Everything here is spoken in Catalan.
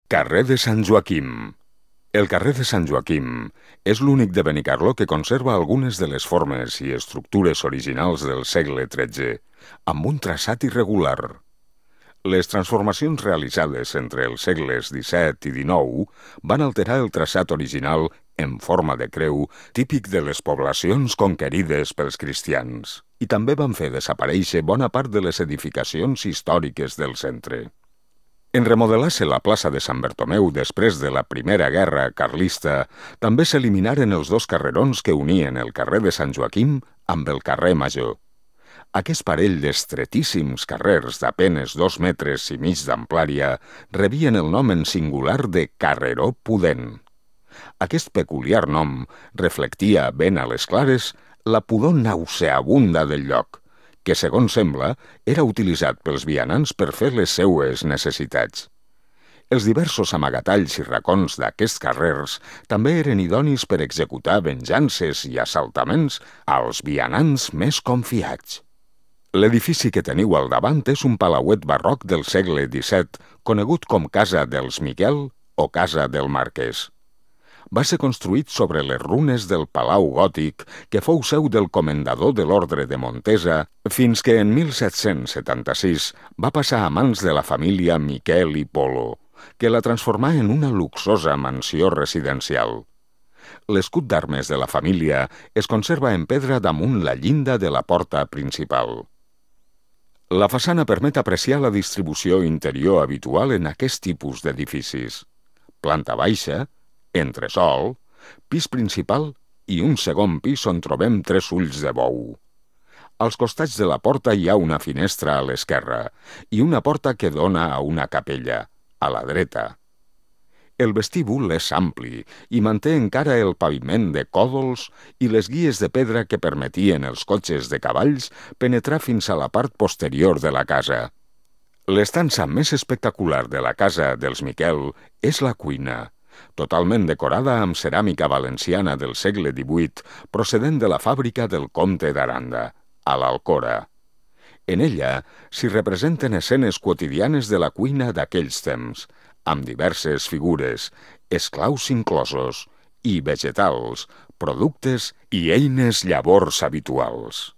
Carrer de Sant Joaquim. El carrer de Sant Joaquim és l'únic de Benicarló que conserva algunes de les formes i estructures originals del segle XIII, amb un traçat irregular. Les transformacions realitzades entre els segles XVII i XIX van alterar el traçat original en forma de creu típic de les poblacions conquerides pels cristians, i també van fer desaparèixer bona part de les edificacions històriques del centre. En remodelar-se la plaça de Sant Bertomeu després de la Primera Guerra Carlista, també s'eliminaren els dos carrerons que unien el carrer de Sant Joaquim amb el carrer Major. Aquest parell d'estretíssims carrers d'apenes 2,5 metres d'amplària rebien el nom en singular de Carreró Pudent. Aquest peculiar nom reflectia ben a les clares la pudor nauseabunda del lloc, que, segons sembla, era utilitzat pels vianants per fer les seues necessitats. Els diversos amagatalls i racons d'aquests carrers també eren idonis per executar venjances i assaltaments als vianants més confiats. L'edifici que teniu al davant és un palauet barroc del segle XVII, conegut com Casa dels Miquel o Casa del Marquès. Va ser construït sobre les runes del Palau Gòtic, que fou seu del comendador de l'Ordre de Montesa, fins que en 1776 va passar a mans de la família Miquel i Polo, que la transformà en una luxosa mansió residencial. L'escut d'armes de la família es conserva en pedra damunt la llinda de la porta principal. La façana permet apreciar la distribució interior habitual en aquest tipus d'edificis. Planta baixa, entresòl, pis principal i un segon pis on trobem 3 ulls de bou. Als costats de la porta hi ha una finestra a l'esquerra i una porta que dona a una capella, a la dreta. El vestíbul és ampli i manté encara el paviment de còdols i les guies de pedra que permetien als cotxes de cavalls penetrar fins a la part posterior de la casa. L'estança més espectacular de la casa dels Miquel és la cuina, totalment decorada amb ceràmica valenciana del segle XVIII procedent de la fàbrica del comte d'Aranda, a l'Alcora. En ella s'hi representen escenes quotidianes de la cuina d'aquells temps, amb diverses figures, esclaus inclosos, i vegetals, productes i eines llavors habituals.